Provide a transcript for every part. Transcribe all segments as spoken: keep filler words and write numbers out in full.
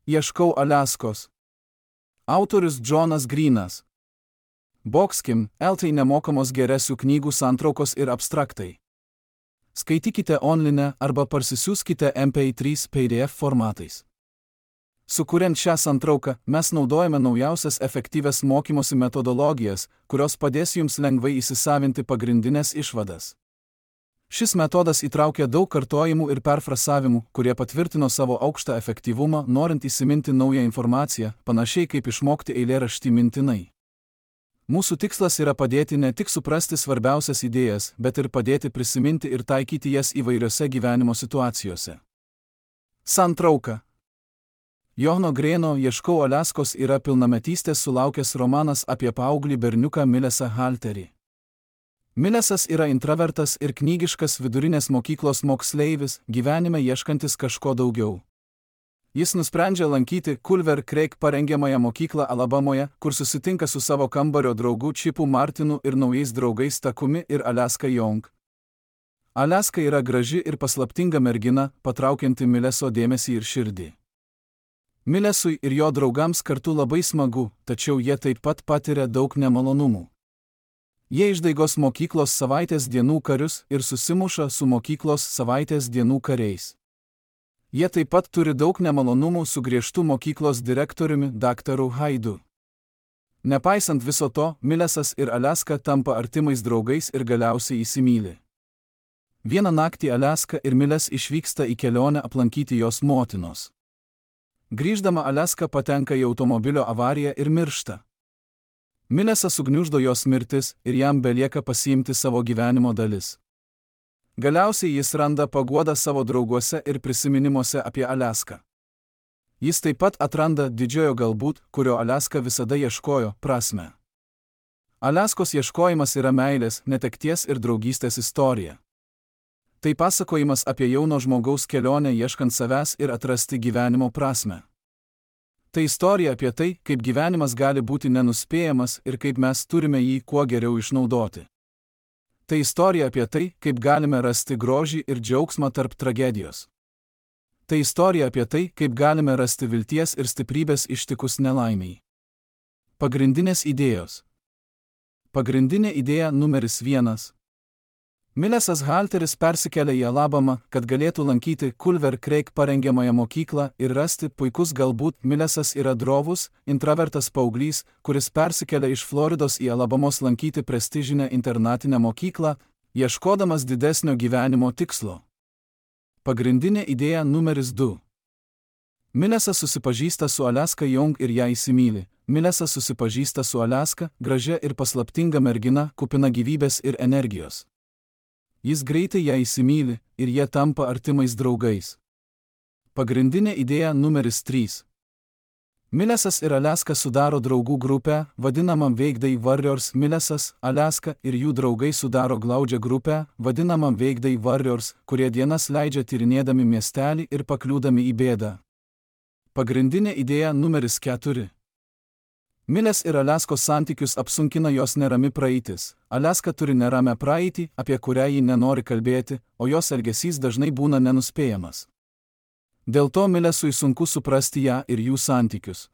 Ieškau Aliaskos. Autorius Džonas Grynas. Boxkim, L T nemokamos geresių knygų santraukos ir abstraktai. Skaitykite online arba parsisiųskite M P trys P D F formatais. Sukuriant šią santrauką, mes naudojame naujausias efektyvias mokymosi metodologijas, kurios padės jums lengvai įsisavinti pagrindinės išvadas. Šis metodas įtraukia daug kartojimų ir perfrasavimų, kurie patvirtino savo aukštą efektyvumą, norint įsiminti naują informaciją, panašiai kaip išmokti eilėraštį mintinai. Mūsų tikslas yra padėti ne tik suprasti svarbiausias idėjas, bet ir padėti prisiminti ir taikyti jas įvairiose gyvenimo situacijose. Santrauka. Johno Greno Ieškau Aliaskos yra pilnametystės sulaukęs romanas apie paauglį berniuką Millesą Halterį. Millesas yra intravertas ir knygiškas vidurinės mokyklos moksleivis, gyvenime ieškantis kažko daugiau. Jis nusprendžia lankyti Culver Creek parengiamąją mokyklą Alabamoje, kur susitinka su savo kambario draugu Chipu Martinu ir naujais draugais Takumi ir Aliaska Young. Aliaska yra graži ir paslaptinga mergina, patraukianti Milleso dėmesį ir širdį. Millesui ir jo draugams kartu labai smagu, tačiau jie taip pat patiria daug nemalonumų. Jie išdaigos mokyklos savaitės dienų karius ir susimuša su mokyklos savaitės dienų kariais. Jie taip pat turi daug nemalonumų su griežtu mokyklos direktoriumi daktaru Haidu. Nepaisant viso to, Millesas ir Aliaska tampa artimais draugais ir galiausiai įsimyli. Vieną naktį Aliaska ir Milles išvyksta į kelionę aplankyti jos motinos. Grįždama Aliaska patenka į automobilio avariją ir miršta. Millesas sugniuždo jos mirtis ir jam belieka pasiimti savo gyvenimo dalis. Galiausiai jis randa paguodą savo drauguose ir prisiminimuose apie Aliaską. Jis taip pat atranda didžiojo galbūt, kurio Aliaska visada ieškojo, prasmę. Aliaskos ieškojimas yra meilės, netekties ir draugystės istorija. Tai pasakojimas apie jauno žmogaus kelionę ieškant savęs ir atrasti gyvenimo prasmę. Tai istorija apie tai, kaip gyvenimas gali būti nenuspėjamas ir kaip mes turime jį kuo geriau išnaudoti. Tai istorija apie tai, kaip galime rasti grožį ir džiaugsmą tarp tragedijos. Tai istorija apie tai, kaip galime rasti vilties ir stiprybės ištikus nelaimiai. Pagrindinės idėjos. Pagrindinė idėja numeris vienas. Millesas Halteris persikelia į Alabamą, kad galėtų lankyti Culver Creek parengiamąją mokyklą ir rasti puikus galbūt. Millesas yra drovus, intravertas paauglys, kuris persikelia iš Floridos į Alabamos lankyti prestižinę internatinę mokyklą, ieškodamas didesnio gyvenimo tikslo. Pagrindinė idėja numeris du. Millesas susipažįsta su Aliaska Young ir ją įsimyli. Millesas susipažįsta su Aliaska, gražia ir paslaptinga mergina, kupina gyvybės ir energijos. Jis greitai ją įsimyli ir jie tampa artimais draugais. Pagrindinė idėja numeris trys. Millesas ir Aliaska sudaro draugų grupę, vadinamą Weekday Warriors. Millesas, Aliaska ir jų draugai sudaro glaudžią grupę, vadinamą Weekday Warriors, kurie dienas leidžia tyrinėdami miestelį ir pakliūdami į bėdą. Pagrindinė idėja numeris keturi. Milles ir Aliaskos santykius apsunkina jos nerami praeitis. Aliaska turi neramę praeitį, apie kurią ji nenori kalbėti, o jos elgesys dažnai būna nenuspėjamas. Dėl to Millesui sunku suprasti ją ir jų santykius.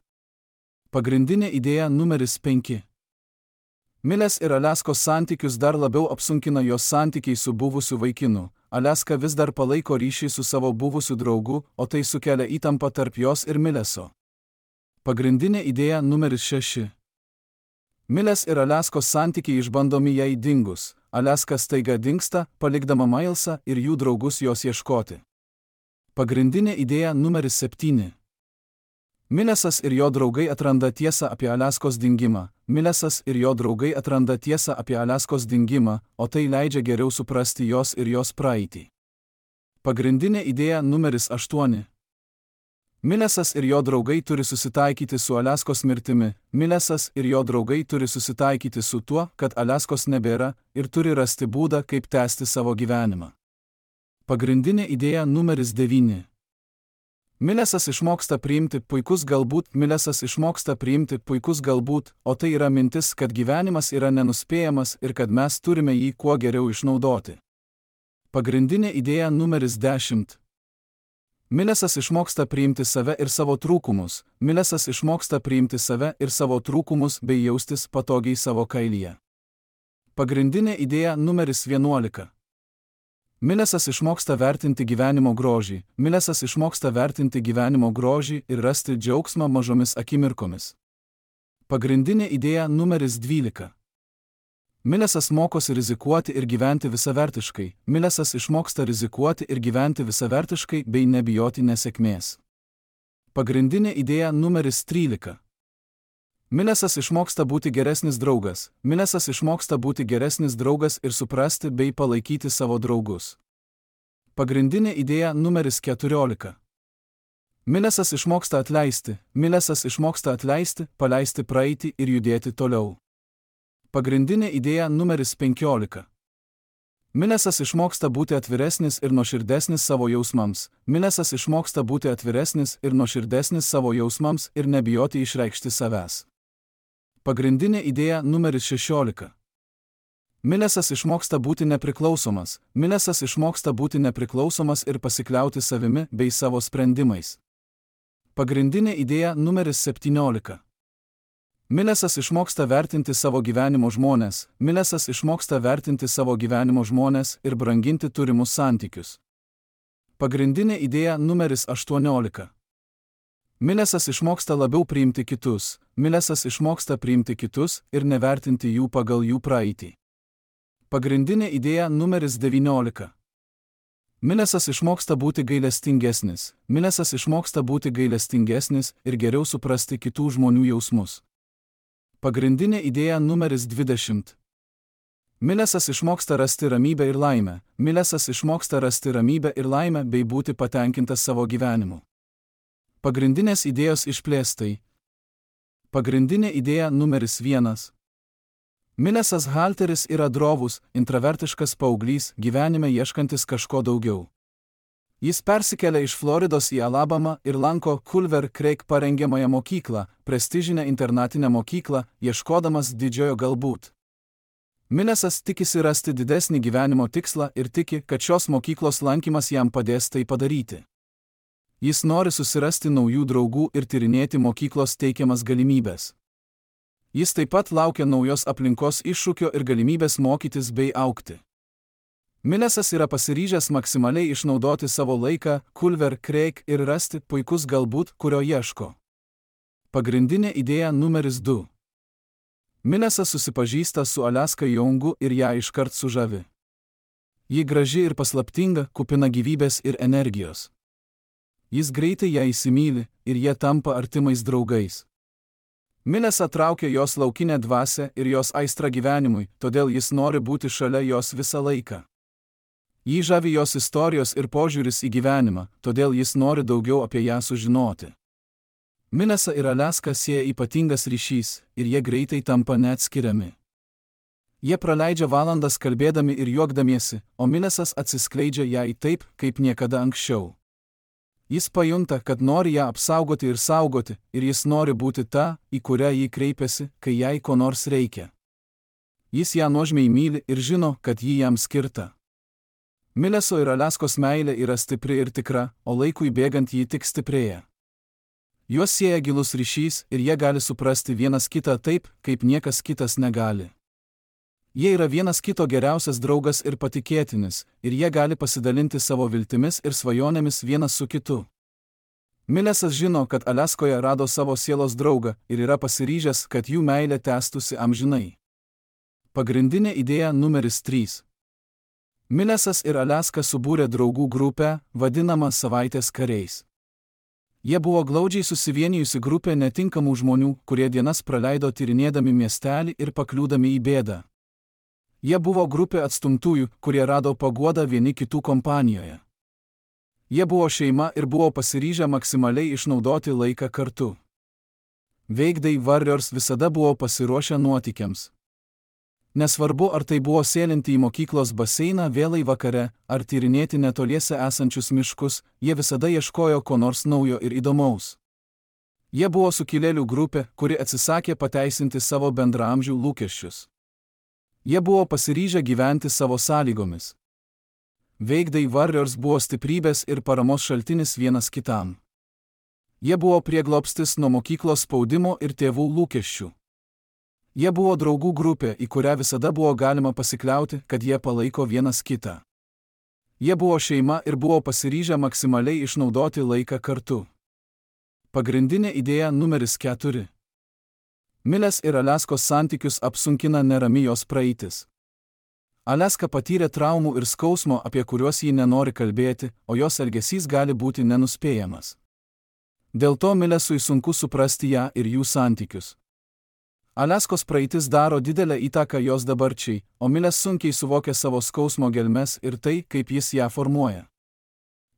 Pagrindinė idėja numeris penki. Milles ir Aliaskos santykius dar labiau apsunkina jos santykiai su buvusiu vaikinu. Aliaska vis dar palaiko ryšį su savo buvusiu draugu, o tai sukelia įtampą tarp jos ir Milleso. Pagrindinė idėja numeris šeši. Milles ir Aliaskos santykiai išbandomi jai dingus. Aliaska staiga dingsta, palikdama Milesą ir jų draugus jos ieškoti. Pagrindinė idėja numeris septyni. Millesas ir jo draugai atranda tiesą apie Aliaskos dingimą. Millesas ir jo draugai atranda tiesą apie Aliaskos dingimą, o tai leidžia geriau suprasti jos ir jos praeitį. Pagrindinė idėja numeris aštuoni. Millesas ir jo draugai turi susitaikyti su Aliaskos mirtimi. Millesas ir jo draugai turi susitaikyti su tuo, kad Aliaskos nebėra, ir turi rasti būdą, kaip tęsti savo gyvenimą. Pagrindinė idėja numeris devyni. Millesas išmoksta priimti puikus galbūt. Millesas išmoksta priimti puikus galbūt, o tai yra mintis, kad gyvenimas yra nenuspėjamas ir kad mes turime jį kuo geriau išnaudoti. Pagrindinė idėja numeris dešimt. Milesas išmoksta priimti save ir savo trūkumus, Milesas išmoksta priimti save ir savo trūkumus bei jaustis patogiai savo kailyje. Pagrindinė idėja numeris vienuolika. Milesas išmoksta vertinti gyvenimo grožį, Milesas išmoksta vertinti gyvenimo grožį ir rasti džiaugsmą mažomis akimirkomis. Pagrindinė idėja numeris dvylika. Milesas mokosi rizikuoti ir gyventi visavertiškai, Milesas išmoksta rizikuoti ir gyventi visavertiškai bei nebijoti nesėkmės. Pagrindinė idėja numeris trylika. Milesas išmoksta būti geresnis draugas, Milesas išmoksta būti geresnis draugas ir suprasti bei palaikyti savo draugus. Pagrindinė idėja numeris keturiolika. Milesas išmoksta atleisti, Milesas išmoksta atleisti, paleisti praeitį ir judėti toliau. Pagrindinė idėja numeris penkiolika. Milesas išmoksta būti atviresnis ir nuoširdesnis savo jausmams, Milesas išmoksta būti atviresnis ir nuoširdesnis savo jausmams ir nebijoti išreikšti savęs. Pagrindinė idėja numeris šešiolika. Milesas išmoksta būti nepriklausomas, Milesas išmoksta būti nepriklausomas ir pasikliauti savimi bei savo sprendimais. Pagrindinė idėja numeris septyniolika. Milesas išmoksta vertinti savo gyvenimo žmones, Milesas išmoksta vertinti savo gyvenimo žmones ir branginti turimus santykius. Pagrindinė idėja numeris aštuoniolika. Milesas išmoksta labiau priimti kitus, Milesas išmoksta priimti kitus ir nevertinti jų pagal jų praeitį. Pagrindinė idėja numeris devyniolika. Milesas išmoksta būti gailestingesnis, Milesas išmoksta būti gailestingesnis ir geriau suprasti kitų žmonių jausmus. Pagrindinė idėja numeris dvidešimt. Milesas išmoksta rasti ramybę ir laimę, Milesas išmoksta rasti ramybę ir laimę bei būti patenkintas savo gyvenimu. Pagrindinės idėjos išplėstai. Pagrindinė idėja numeris vienas. Milesas Halteris yra drovus, intravertiškas paauglys, gyvenime ieškantis kažko daugiau. Jis persikelia iš Floridos į Alabamą ir lanko Culver Creek parengiamąją mokyklą, prestižinę internatinę mokyklą, ieškodamas didžiojo galbūt. Milesas tikisi rasti didesnį gyvenimo tikslą ir tiki, kad šios mokyklos lankymas jam padės tai padaryti. Jis nori susirasti naujų draugų ir tyrinėti mokyklos teikiamas galimybės. Jis taip pat laukia naujos aplinkos iššūkio ir galimybės mokytis bei augti. Milesas yra pasiryžęs maksimaliai išnaudoti savo laiką Culver Creek ir rasti puikus galbūt, kurio ieško. Pagrindinė idėja numeris du. Milesas susipažįsta su Alaska Youngu ir ją iškart sužavi. Ji graži ir paslaptinga, kupina gyvybės ir energijos. Jis greitai ją įsimyli ir jie tampa artimais draugais. Milesą traukia jos laukinė dvasia ir jos aistra gyvenimui, todėl jis nori būti šalia jos visą laiką. Jį žavi jos istorijos ir požiūris į gyvenimą, todėl jis nori daugiau apie ją sužinoti. Milesą ir Alaską sieja ypatingas ryšys ir jie greitai tampa neatskiriami. Jie praleidžia valandas kalbėdami ir juokdamiesi, o Milesas atsiskleidžia jai taip, kaip niekada anksčiau. Jis pajunta, kad nori ją apsaugoti ir saugoti, ir jis nori būti ta, į kurią jį kreipiasi, kai jai ko nors reikia. Jis ją nuožmiai myli ir žino, kad ji jam skirta. Mileso ir Alaskos meilė yra stipri ir tikra, o laikui bėgant ji tik stiprėja. Juos sieja gilus ryšys ir jie gali suprasti vienas kitą taip, kaip niekas kitas negali. Jie yra vienas kito geriausias draugas ir patikėtinis, ir jie gali pasidalinti savo viltimis ir svajonėmis vienas su kitu. Milesas žino, kad Alaskoje rado savo sielos draugą ir yra pasiryžęs, kad jų meilė tęstųsi amžinai. Pagrindinė idėja numeris trys. Milesas ir Alaska subūrė draugų grupę, vadinamą savaitės kariais. Jie buvo glaudžiai susivienijusi grupė netinkamų žmonių, kurie dienas praleido tyrinėdami miestelį ir pakliūdami į bėdą. Jie buvo grupė atstumtųjų, kurie rado paguodą vieni kitų kompanijoje. Jie buvo šeima ir buvo pasiryžę maksimaliai išnaudoti laiką kartu. Weekday Warriors visada buvo pasiruošę nuotykiams. Nesvarbu, ar tai buvo sėlinti į mokyklos baseiną vėlai vakare, ar tyrinėti netoliese esančius miškus, jie visada ieškojo ko nors naujo ir įdomaus. Jie buvo sukilėlių grupė, kuri atsisakė pateisinti savo bendraamžių lūkesčius. Jie buvo pasiryžę gyventi savo sąlygomis. Weekday Warriors buvo stiprybės ir paramos šaltinis vienas kitam. Jie buvo prieglobstis nuo mokyklos spaudimo ir tėvų lūkesčių. Jie buvo draugų grupė, į kurią visada buvo galima pasikliauti, kad jie palaiko vienas kitą. Jie buvo šeima ir buvo pasiryžę maksimaliai išnaudoti laiką kartu. Pagrindinė idėja numeris keturi. Milės ir Aliaskos santykius apsunkina nerami jos praeitis. Aliaska patyrė traumų ir skausmo, apie kuriuos ji nenori kalbėti, o jos elgesys gali būti nenuspėjamas. Dėl to Milesui sunku suprasti ją ir jų santykius. Aliaskos praeitis daro didelę įtaką jos dabarčiai, o Milės sunkiai suvokia savo skausmo gelmes ir tai, kaip jis ją formuoja.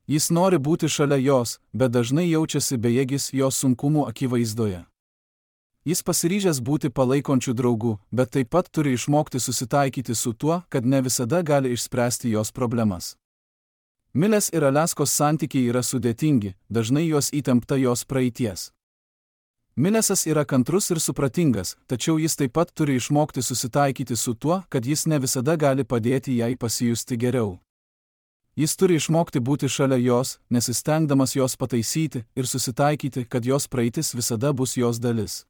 Jis nori būti šalia jos, bet dažnai jaučiasi bejėgis jos sunkumų akivaizdoje. Jis pasiryžęs būti palaikončių draugų, bet taip pat turi išmokti susitaikyti su tuo, kad ne visada gali išspręsti jos problemas. Milės ir Aliaskos santykiai yra sudėtingi, dažnai jos įtempta jos praeities. Milesas yra kantrus ir supratingas, tačiau jis taip pat turi išmokti susitaikyti su tuo, kad jis ne visada gali padėti jai pasijusti geriau. Jis turi išmokti būti šalia jos, nesistengdamas jos pataisyti ir susitaikyti, kad jos praeitis visada bus jos dalis.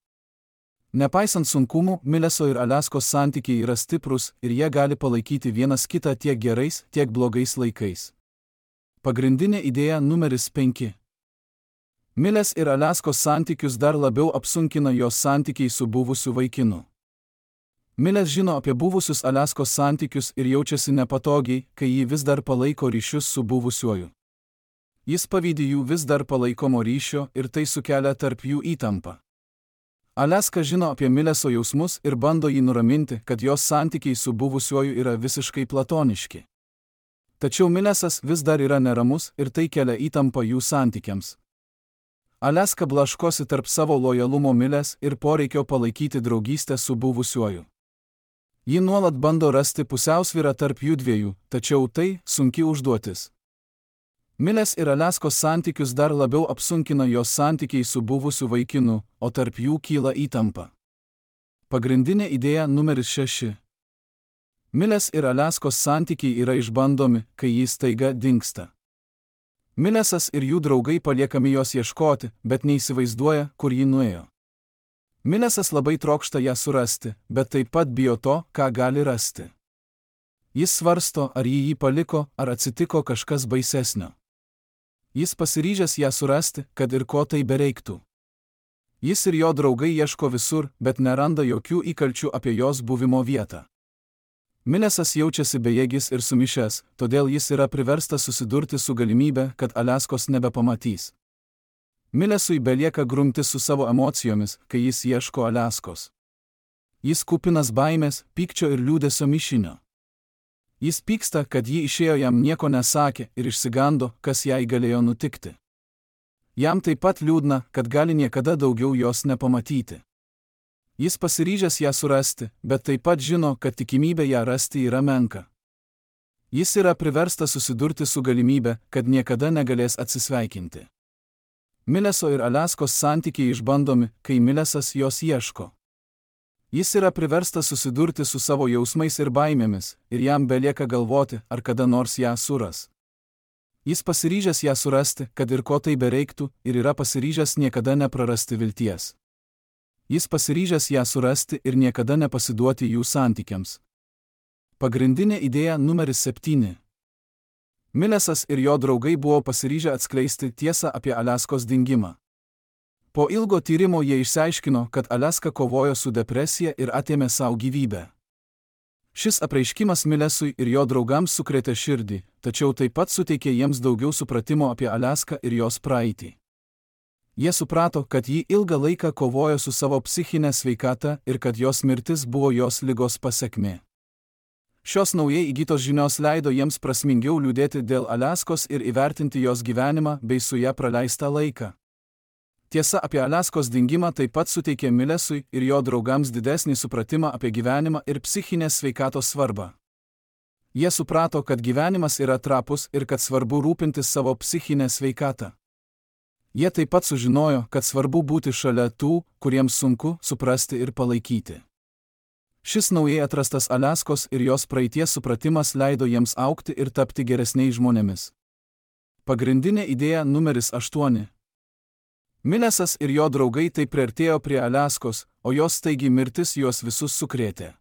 Nepaisant sunkumų, Mileso ir Aliaskos santykiai yra stiprus ir jie gali palaikyti vienas kitą tiek gerais, tiek blogais laikais. Pagrindinė idėja numeris penki. Milės ir Aliaskos santykius dar labiau apsunkina jos santykiai su buvusiu vaikinu. Milės žino apie buvusius Aliaskos santykius ir jaučiasi nepatogiai, kai ji vis dar palaiko ryšius su buvusiuoju. Jis pavydi jų vis dar palaikomo ryšio ir tai sukelia tarp jų įtampą. Aliaska žino apie Mileso jausmus ir bando jį nuraminti, kad jos santykiai su buvusiuoju yra visiškai platoniški. Tačiau Milesas vis dar yra neramus ir tai kelia įtampą jų santykiams. Aliaska blaškosi tarp savo lojalumo Milės ir poreikio palaikyti draugystę su buvusiuoju. Ji nuolat bando rasti pusiausvyrą tarp jų dviejų, tačiau tai sunki užduotis. Milės ir Aliaskos santykius dar labiau apsunkina jos santykiai su buvusiu vaikinu, o tarp jų kyla įtampa. Pagrindinė idėja numeris šeši. Milės ir Aliaskos santykiai yra išbandomi, kai jis staiga dingsta. Milesas ir jų draugai paliekami jos ieškoti, bet neįsivaizduoja, kur ji nuėjo. Milesas labai trokšta ją surasti, bet taip pat bijo to, ką gali rasti. Jis svarsto, ar ji jį paliko, ar atsitiko kažkas baisesnio. Jis pasiryžęs ją surasti, kad ir ko tai bereiktų. Jis ir jo draugai ieško visur, bet neranda jokių įkalčių apie jos buvimo vietą. Milesas jaučiasi bejėgis ir sumišęs, todėl jis yra priverstas susidurti su galimybe, kad Aliaskos nebepamatys. Milesui belieka grumtis su savo emocijomis, kai jis ieško Aliaskos. Jis kupinas baimės, pykčio ir liūdesio mišinio. Jis pyksta, kad ji išėjo jam nieko nesakė ir išsigando, kas jai galėjo nutikti. Jam taip pat liūdna, kad gali niekada daugiau jos nepamatyti. Jis pasiryžęs ją surasti, bet taip pat žino, kad tikimybė ją rasti yra menka. Jis yra priverstas susidurti su galimybė, kad niekada negalės atsisveikinti. Mileso ir Aliaskos santykiai išbandomi, kai Milesas jos ieško. Jis yra priverstas susidurti su savo jausmais ir baimėmis, ir jam belieka galvoti, ar kada nors ją suras. Jis pasiryžęs ją surasti, kad ir ko tai bereiktų, ir yra pasiryžęs niekada neprarasti vilties. Jis pasiryžęs ją surasti ir niekada nepasiduoti jų santykiams. Pagrindinė idėja numeris septyni. Milesas ir jo draugai buvo pasiryžę atskleisti tiesą apie Aliaskos dingimą. Po ilgo tyrimo jie išsiaiškino, kad Aliaska kovojo su depresija ir atėmė savo gyvybę. Šis apreiškimas Milesui ir jo draugams sukrėtė širdį, tačiau taip pat suteikė jiems daugiau supratimo apie Aliaską ir jos praeitį. Jie suprato, kad ji ilgą laiką kovojo su savo psichinė sveikata ir kad jos mirtis buvo jos ligos pasekmė. Šios naujai įgytos žinios leido jiems prasmingiau liūdėti dėl Aliaskos ir įvertinti jos gyvenimą bei su ją praleistą laiką. Tiesa apie Aliaskos dingimą taip pat suteikė Milesui ir jo draugams didesnį supratimą apie gyvenimą ir psichinės sveikatos svarbą. Jie suprato, kad gyvenimas yra trapus ir kad svarbu rūpintis savo psichinę sveikatą. Jie taip pat sužinojo, kad svarbu būti šalia tų, kuriems sunku suprasti ir palaikyti. Šis naujai atrastas Aliaskos ir jos praeities supratimas leido jiems augti ir tapti geresniais žmonėmis. Pagrindinė idėja numeris aštuoni. Millesas ir jo draugai taip priartėjo prie Aliaskos, o jos staigi mirtis juos visus sukrėtė.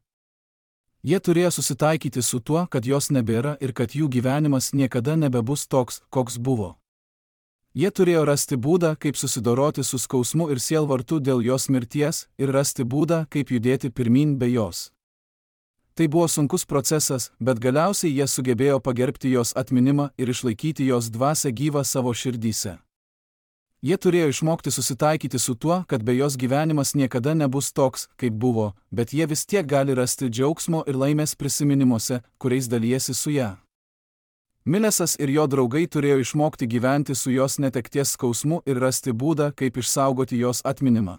Jie turėjo susitaikyti su tuo, kad jos nebėra ir kad jų gyvenimas niekada nebebus toks, koks buvo. Jie turėjo rasti būdą, kaip susidoroti su skausmu ir sielvartu dėl jos mirties ir rasti būdą, kaip judėti pirmyn be jos. Tai buvo sunkus procesas, bet galiausiai jie sugebėjo pagerbti jos atminimą ir išlaikyti jos dvasią gyvą savo širdyse. Jie turėjo išmokti susitaikyti su tuo, kad be jos gyvenimas niekada nebus toks, kaip buvo, bet jie vis tiek gali rasti džiaugsmo ir laimės prisiminimuose, kuriais dalijasi su ją. Millesas ir jo draugai turėjo išmokti gyventi su jos netekties skausmu ir rasti būdą, kaip išsaugoti jos atminimą.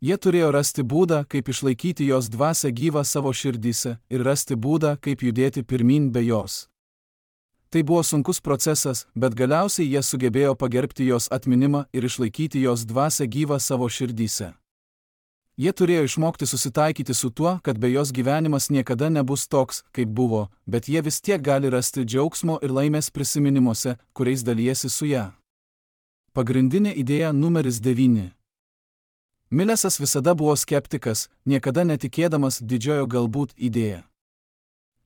Jie turėjo rasti būdą, kaip išlaikyti jos dvasią gyvą savo širdyse ir rasti būdą, kaip judėti pirmyn be jos. Tai buvo sunkus procesas, bet galiausiai jie sugebėjo pagerbti jos atminimą ir išlaikyti jos dvasią gyvą savo širdyse. Jie turėjo išmokti susitaikyti su tuo, kad be jos gyvenimas niekada nebus toks, kaip buvo, bet jie vis tiek gali rasti džiaugsmo ir laimės prisiminimuose, kuriais dalijasi su ją. Pagrindinė idėja numeris devyni. Millesas visada buvo skeptikas, niekada netikėdamas didžiojo galbūt idėją.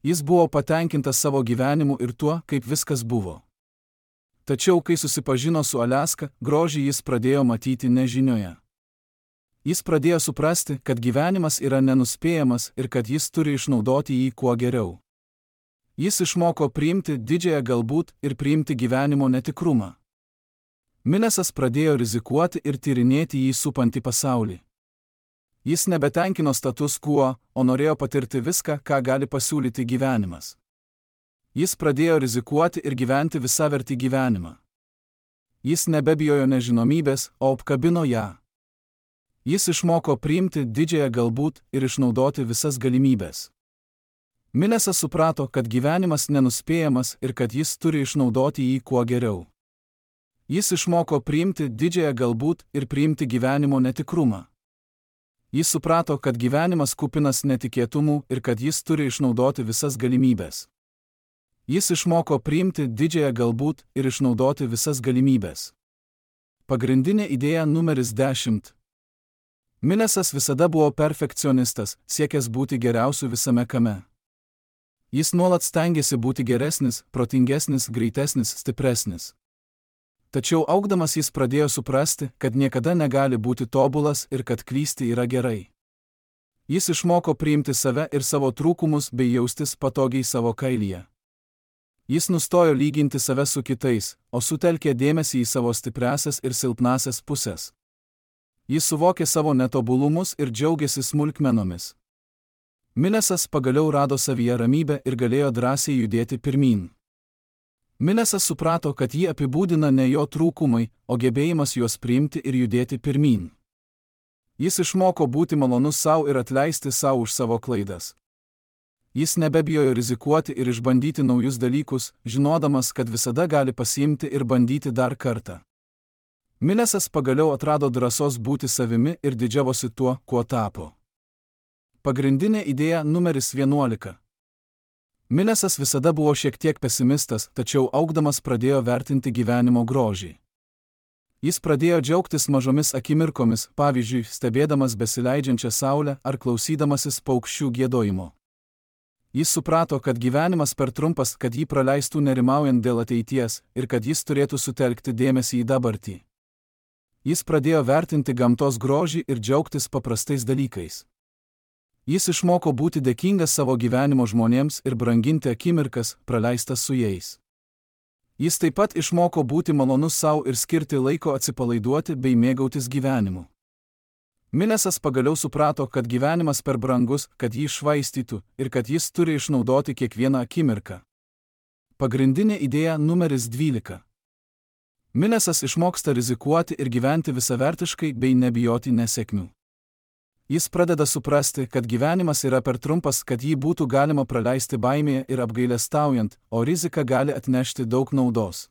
Jis buvo patenkintas savo gyvenimu ir tuo, kaip viskas buvo. Tačiau, kai susipažino su Aliaska, grožį jis pradėjo matyti nežinioje. Jis pradėjo suprasti, kad gyvenimas yra nenuspėjamas ir kad jis turi išnaudoti jį kuo geriau. Jis išmoko priimti didžiąją galbūt ir priimti gyvenimo netikrumą. Millesas pradėjo rizikuoti ir tyrinėti jį supantį pasaulį. Jis nebetenkino status quo, o norėjo patirti viską, ką gali pasiūlyti gyvenimas. Jis pradėjo rizikuoti ir gyventi visavertį gyvenimą. Jis nebebijojo nežinomybės, o apkabino ją. Jis išmoko priimti didžiąją galbūt ir išnaudoti visas galimybės. Millesas suprato, kad gyvenimas nenuspėjamas ir kad jis turi išnaudoti jį kuo geriau. Jis išmoko priimti didžiąją galbūt ir priimti gyvenimo netikrumą. Jis suprato, kad gyvenimas kupinas netikėtumų ir kad jis turi išnaudoti visas galimybės. Jis išmoko priimti didžiąją galbūt ir išnaudoti visas galimybės. Pagrindinė idėja numeris dešimt. Millesas visada buvo perfekcionistas, siekęs būti geriausiu visame kame. Jis nuolat stengėsi būti geresnis, protingesnis, greitesnis, stipresnis. Tačiau augdamas jis pradėjo suprasti, kad niekada negali būti tobulas ir kad klysti yra gerai. Jis išmoko priimti save ir savo trūkumus bei jaustis patogiai savo kailyje. Jis nustojo lyginti save su kitais, o sutelkė dėmesį į savo stipriasias ir silpnasias pusės. Jis suvokė savo netobulumus ir džiaugiasi smulkmenomis. Millesas pagaliau rado savyje ramybę ir galėjo drąsiai judėti pirmyn. Millesas suprato, kad jį apibūdina ne jo trūkumai, o gebėjimas juos priimti ir judėti pirmyn. Jis išmoko būti malonus savo ir atleisti savo už savo klaidas. Jis nebebijojo rizikuoti ir išbandyti naujus dalykus, žinodamas, kad visada gali pasiimti ir bandyti dar kartą. Millesas pagaliau atrado drąsos būti savimi ir didžiavosi tuo, kuo tapo. Pagrindinė idėja numeris vienuolika. Millesas visada buvo šiek tiek pesimistas, tačiau augdamas pradėjo vertinti gyvenimo grožį. Jis pradėjo džiaugtis mažomis akimirkomis, pavyzdžiui, stebėdamas besileidžiančią saulę ar klausydamasis paukščių giedojimo. Jis suprato, kad gyvenimas per trumpas, kad jį praleistų nerimaujant dėl ateities ir kad jis turėtų sutelkti dėmesį į dabartį. Jis pradėjo vertinti gamtos grožį ir džiaugtis paprastais dalykais. Jis išmoko būti dėkingas savo gyvenimo žmonėms ir branginti akimirkas, praleistas su jais. Jis taip pat išmoko būti malonus savo ir skirti laiko atsipalaiduoti bei mėgautis gyvenimu. Millesas pagaliau suprato, kad gyvenimas per brangus, kad jį švaistytų ir kad jis turi išnaudoti kiekvieną akimirką. Pagrindinė idėja numeris dvylika. Millesas išmoksta rizikuoti ir gyventi visavertiškai bei nebijoti nesėkmių. Jis pradeda suprasti, kad gyvenimas yra per trumpas, kad jį būtų galima praleisti baimėje ir apgailestaujant, o rizika gali atnešti daug naudos.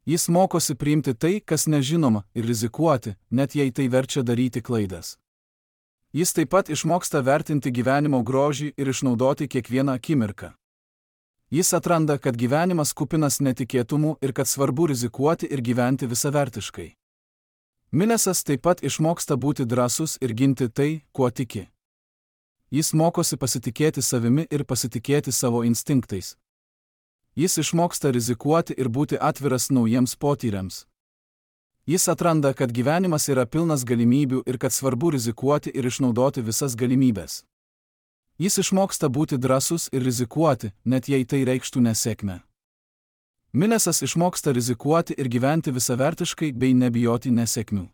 Jis mokosi priimti tai, kas nežinoma, ir rizikuoti, net jei tai verčia daryti klaidas. Jis taip pat išmoksta vertinti gyvenimo grožį ir išnaudoti kiekvieną akimirką. Jis atranda, kad gyvenimas kupinas netikėtumų ir kad svarbu rizikuoti ir gyventi visavertiškai. Milesas taip pat išmoksta būti drąsus ir ginti tai, kuo tiki. Jis mokosi pasitikėti savimi ir pasitikėti savo instinktais. Jis išmoksta rizikuoti ir būti atviras naujiems potyriams. Jis atranda, kad gyvenimas yra pilnas galimybių ir kad svarbu rizikuoti ir išnaudoti visas galimybės. Jis išmoksta būti drąsus ir rizikuoti, net jei tai reikštų nesėkmę. Milesas išmoksta rizikuoti ir gyventi visavertiškai bei nebijoti nesėkmių.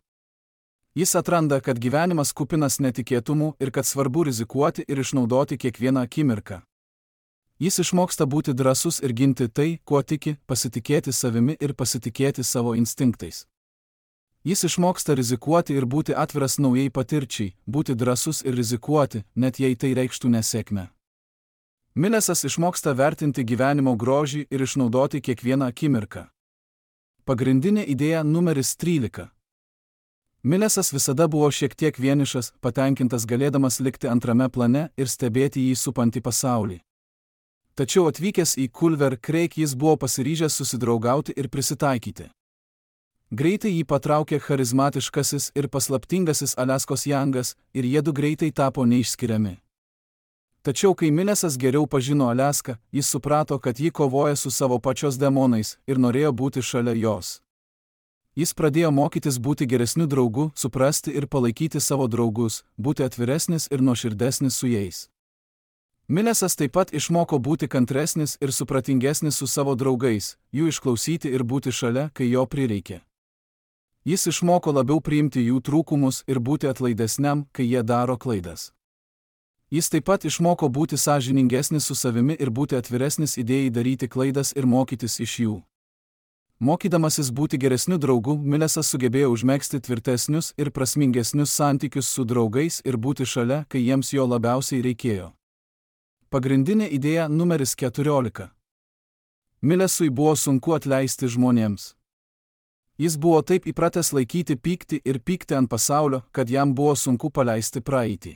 Jis atranda, kad gyvenimas kupinas netikėtumų ir kad svarbu rizikuoti ir išnaudoti kiekvieną akimirką. Jis išmoksta būti drąsus ir ginti tai, kuo tiki, pasitikėti savimi ir pasitikėti savo instinktais. Jis išmoksta rizikuoti ir būti atviras naujai patirčiai, būti drąsus ir rizikuoti, net jei tai reikštų nesėkmę. Milesas išmoksta vertinti gyvenimo grožį ir išnaudoti kiekvieną akimirką. Pagrindinė idėja numeris trylika. Milesas visada buvo šiek tiek vienišas, patenkintas galėdamas likti antrame plane ir stebėti jį supantį pasaulį. Tačiau atvykęs į Culver Creek jis buvo pasiryžęs susidraugauti ir prisitaikyti. Greitai jį patraukė charizmatiškasis ir paslaptingasis Aliaskos Jangas ir jiedu greitai tapo neišskiriami. Tačiau kai Milesas geriau pažino Aliaską, jis suprato, kad ji kovoja su savo pačios demonais ir norėjo būti šalia jos. Jis pradėjo mokytis būti geresniu draugu, suprasti ir palaikyti savo draugus, būti atviresnis ir nuoširdesnis su jais. Milesas taip pat išmoko būti kantresnis ir supratingesnis su savo draugais, jų išklausyti ir būti šalia, kai jo prireikė. Jis išmoko labiau priimti jų trūkumus ir būti atlaidesniam, kai jie daro klaidas. Jis taip pat išmoko būti sąžiningesnis su savimi ir būti atviresnis idėjai daryti klaidas ir mokytis iš jų. Mokydamasis būti geresniu draugu, Milesas sugebėjo užmegzti tvirtesnius ir prasmingesnius santykius su draugais ir būti šalia, kai jiems jo labiausiai reikėjo. Pagrindinė idėja numeris keturiolika. Milesui buvo sunku atleisti žmonėms. Jis buvo taip įpratęs laikyti pyktį ir pykti ant pasaulio, kad jam buvo sunku paleisti praeitį.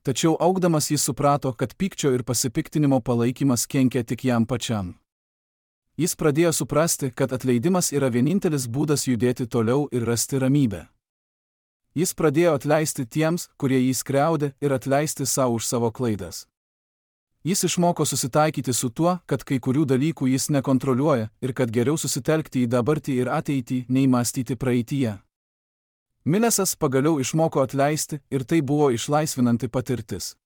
Tačiau augdamas jis suprato, kad pykčio ir pasipiktinimo palaikymas kenkia tik jam pačiam. Jis pradėjo suprasti, kad atleidimas yra vienintelis būdas judėti toliau ir rasti ramybę. Jis pradėjo atleisti tiems, kurie jį skriaudė, ir atleisti savo už savo klaidas. Jis išmoko susitaikyti su tuo, kad kai kurių dalykų jis nekontroliuoja ir kad geriau susitelkti į dabartį ir ateitį, nei mąstyti praeityje. Milesas pagaliau išmoko atleisti ir tai buvo išlaisvinanti patirtis.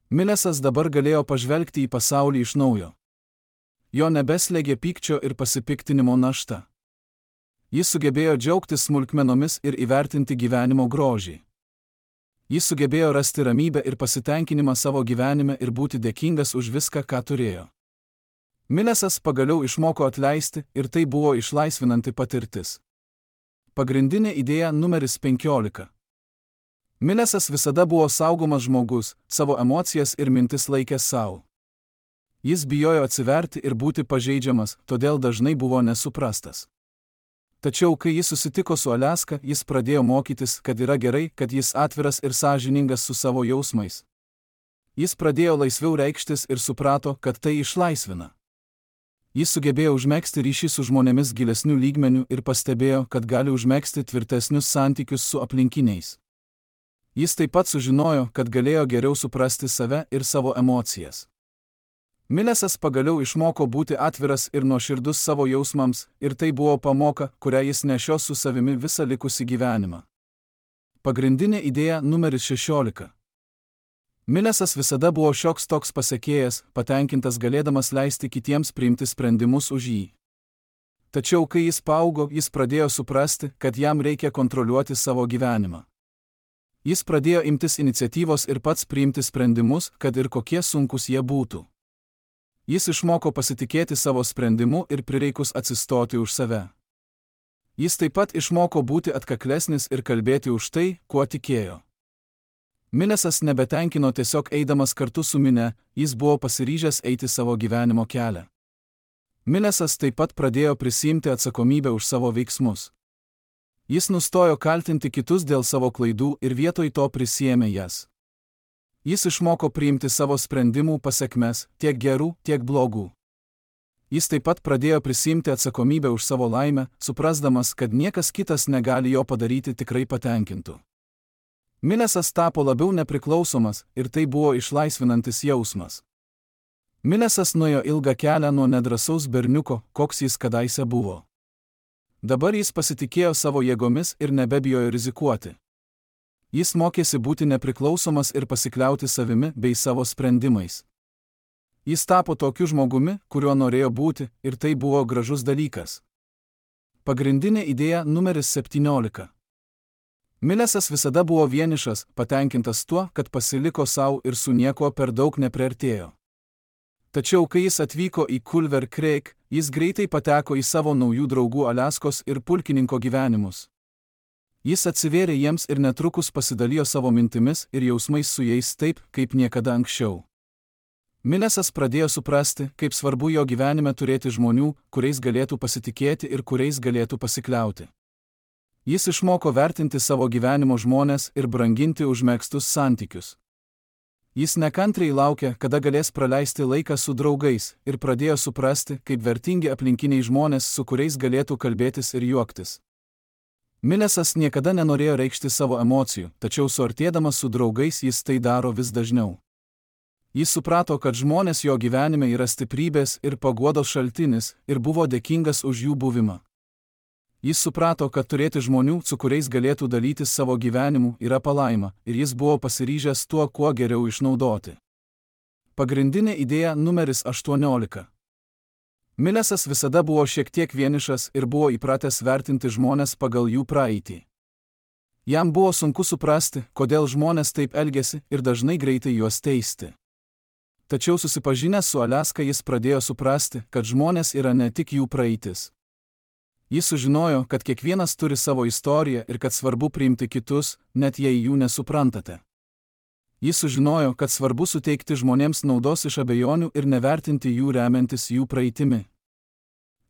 Milesas dabar galėjo pažvelgti į pasaulį iš naujo. Jo nebeslėgė pykčio ir pasipiktinimo našta. Jis sugebėjo džiaugtis smulkmenomis ir įvertinti gyvenimo grožį. Jis sugebėjo rasti ramybę ir pasitenkinimą savo gyvenime ir būti dėkingas už viską, ką turėjo. Milesas pagaliau išmoko atleisti ir tai buvo išlaisvinanti patirtis. Pagrindinė idėja numeris penkiolika. Milesas visada buvo saugomas žmogus, savo emocijas ir mintis laikė savo. Jis bijojo atsiverti ir būti pažeidžiamas, todėl dažnai buvo nesuprastas. Tačiau, kai jis susitiko su Aliaska, jis pradėjo mokytis, kad yra gerai, kad jis atviras ir sąžiningas su savo jausmais. Jis pradėjo laisviau reikštis ir suprato, kad tai išlaisvina. Jis sugebėjo užmegzti ryšį su žmonėmis gilesnių lygmenių ir pastebėjo, kad gali užmegzti tvirtesnius santykius su aplinkiniais. Jis taip pat sužinojo, kad galėjo geriau suprasti save ir savo emocijas. Milesas pagaliau išmoko būti atviras ir nuoširdus savo jausmams, ir tai buvo pamoka, kurią jis nešios su savimi visą likusį gyvenimą. Pagrindinė idėja numeris šešiolika. Milesas visada buvo šioks toks pasekėjas, patenkintas galėdamas leisti kitiems priimti sprendimus už jį. Tačiau, kai jis paaugo, jis pradėjo suprasti, kad jam reikia kontroliuoti savo gyvenimą. Jis pradėjo imtis iniciatyvos ir pats priimti sprendimus, kad ir kokie sunkus jie būtų. Jis išmoko pasitikėti savo sprendimu ir prireikus atsistoti už save. Jis taip pat išmoko būti atkaklesnis ir kalbėti už tai, kuo tikėjo. Milesas nebetenkino tiesiog eidamas kartu su minia, jis buvo pasiryžęs eiti savo gyvenimo kelią. Milesas taip pat pradėjo prisiimti atsakomybę už savo veiksmus. Jis nustojo kaltinti kitus dėl savo klaidų ir vietoj to prisiėmė jas. Jis išmoko priimti savo sprendimų pasekmes, tiek gerų, tiek blogų. Jis taip pat pradėjo prisiimti atsakomybę už savo laimę, suprasdamas, kad niekas kitas negali jo padaryti tikrai patenkintų. Milesas tapo labiau nepriklausomas ir tai buvo išlaisvinantis jausmas. Milesas nuėjo ilgą kelią nuo nedrąsaus berniuko, koks jis kadaise buvo. Dabar jis pasitikėjo savo jėgomis ir nebebijojo rizikuoti. Jis mokėsi būti nepriklausomas ir pasikliauti savimi bei savo sprendimais. Jis tapo tokiu žmogumi, kuriuo norėjo būti, ir tai buvo gražus dalykas. Pagrindinė idėja numeris septyniolika. Milesas visada buvo vienišas, patenkintas tuo, kad pasiliko sau ir su niekuo per daug nepriartėjo. Tačiau kai jis atvyko į Culver Creek, jis greitai pateko į savo naujų draugų Aliaskos ir pulkininko gyvenimus. Jis atsivėrė jiems ir netrukus pasidalijo savo mintimis ir jausmais su jais taip, kaip niekada anksčiau. Milesas pradėjo suprasti, kaip svarbu jo gyvenime turėti žmonių, kuriais galėtų pasitikėti ir kuriais galėtų pasikliauti. Jis išmoko vertinti savo gyvenimo žmones ir branginti užmegztus santykius. Jis nekantriai laukė, kada galės praleisti laiką su draugais, ir pradėjo suprasti, kaip vertingi aplinkiniai žmonės, su kuriais galėtų kalbėtis ir juoktis. Milesas niekada nenorėjo reikšti savo emocijų, tačiau suartėdamas su draugais jis tai daro vis dažniau. Jis suprato, kad žmonės jo gyvenime yra stiprybės ir paguodos šaltinis, ir buvo dėkingas už jų buvimą. Jis suprato, kad turėti žmonių, su kuriais galėtų dalytis savo gyvenimu, yra palaima, ir jis buvo pasiryžęs tuo, kuo geriau išnaudoti. Pagrindinė idėja numeris aštuoniolika. Milesas visada buvo šiek tiek vienišas ir buvo įpratęs vertinti žmones pagal jų praeitį. Jam buvo sunku suprasti, kodėl žmonės taip elgiasi ir dažnai greitai juos teisti. Tačiau susipažinęs su Aliaska jis pradėjo suprasti, kad žmonės yra ne tik jų praeitis. Jis sužinojo, kad kiekvienas turi savo istoriją ir kad svarbu priimti kitus, net jei jų nesuprantate. Jis sužinojo, kad svarbu suteikti žmonėms naudos iš abejonių ir nevertinti jų remiantis jų praeitimi.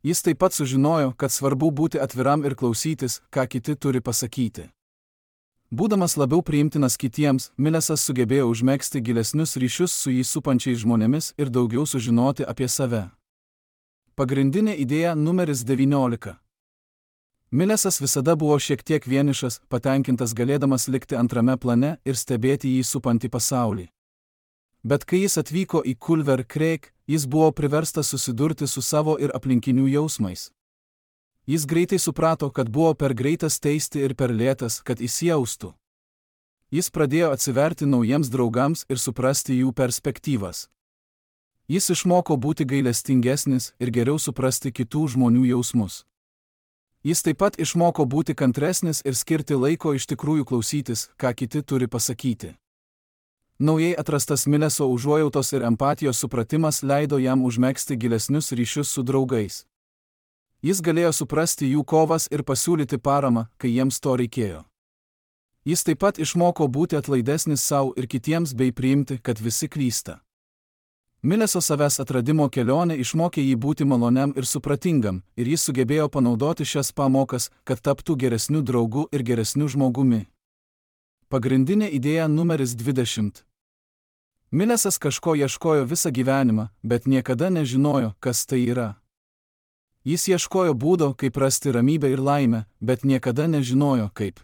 Jis taip pat sužinojo, kad svarbu būti atviram ir klausytis, ką kiti turi pasakyti. Būdamas labiau priimtinas kitiems, Milesas sugebėjo užmegzti gilesnius ryšius su jį supančiais žmonėmis ir daugiau sužinoti apie save. Pagrindinė idėja numeris devyniolika. Milesas visada buvo šiek tiek vienišas, patenkintas galėdamas likti antrame plane ir stebėti jį supantį pasaulį. Bet kai jis atvyko į Culver Creek, jis buvo priverstas susidurti su savo ir aplinkinių jausmais. Jis greitai suprato, kad buvo per greitas teisti ir per lėtas, kad įsijaustų. Jis pradėjo atsiverti naujiems draugams ir suprasti jų perspektyvas. Jis išmoko būti gailestingesnis ir geriau suprasti kitų žmonių jausmus. Jis taip pat išmoko būti kantresnis ir skirti laiko iš tikrųjų klausytis, ką kiti turi pasakyti. Naujai atrastas Mileso užuojautos ir empatijos supratimas leido jam užmegzti gilesnius ryšius su draugais. Jis galėjo suprasti jų kovas ir pasiūlyti paramą, kai jiems to reikėjo. Jis taip pat išmoko būti atlaidesnis sau ir kitiems bei priimti, kad visi klysta. Mileso savęs atradimo kelionė išmokė jį būti maloniam ir supratingam, ir jis sugebėjo panaudoti šias pamokas, kad taptų geresniu draugu ir geresniu žmogumi. Pagrindinė idėja numeris dvidešimt. Milesas kažko ieškojo visą gyvenimą, bet niekada nežinojo, kas tai yra. Jis ieškojo būdo, kaip rasti ramybę ir laimę, bet niekada nežinojo, kaip.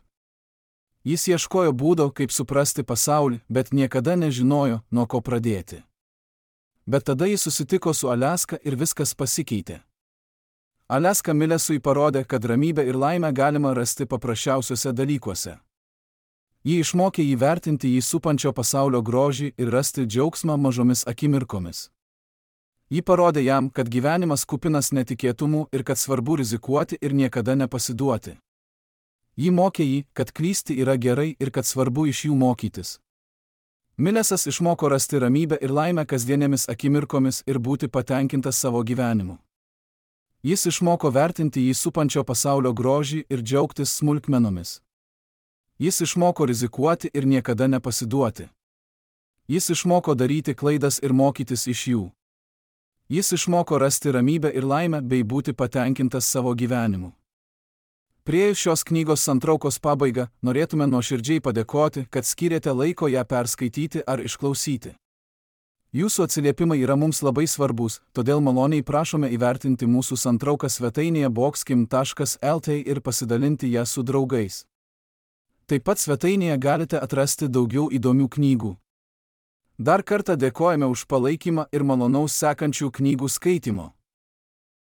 Jis ieškojo būdo, kaip suprasti pasaulį, bet niekada nežinojo, nuo ko pradėti. Bet tada jis susitiko su Aliaska ir viskas pasikeitė. Aliaska Milesui parodė, kad ramybę ir laimę galima rasti paprasčiausiuose dalykuose. Ji išmokė jį vertinti jį supančio pasaulio grožį ir rasti džiaugsmą mažomis akimirkomis. Ji parodė jam, kad gyvenimas kupinas netikėtumų ir kad svarbu rizikuoti ir niekada nepasiduoti. Ji mokė jį, kad klysti yra gerai ir kad svarbu iš jų mokytis. Milesas išmoko rasti ramybę ir laimę kasdienėmis akimirkomis ir būti patenkintas savo gyvenimu. Jis išmoko vertinti jį supančio pasaulio grožį ir džiaugtis smulkmenomis. Jis išmoko rizikuoti ir niekada nepasiduoti. Jis išmoko daryti klaidas ir mokytis iš jų. Jis išmoko rasti ramybę ir laimę bei būti patenkintas savo gyvenimu. Priėjus šios knygos santraukos pabaigą, norėtume nuoširdžiai padėkoti, kad skyrėte laiko ją perskaityti ar išklausyti. Jūsų atsiliepimai yra mums labai svarbus, todėl maloniai prašome įvertinti mūsų santrauką svetainėje boxkim taškas lt ir pasidalinti ją su draugais. Taip pat svetainėje galite atrasti daugiau įdomių knygų. Dar kartą dėkojame už palaikymą ir malonaus sekančių knygų skaitimo.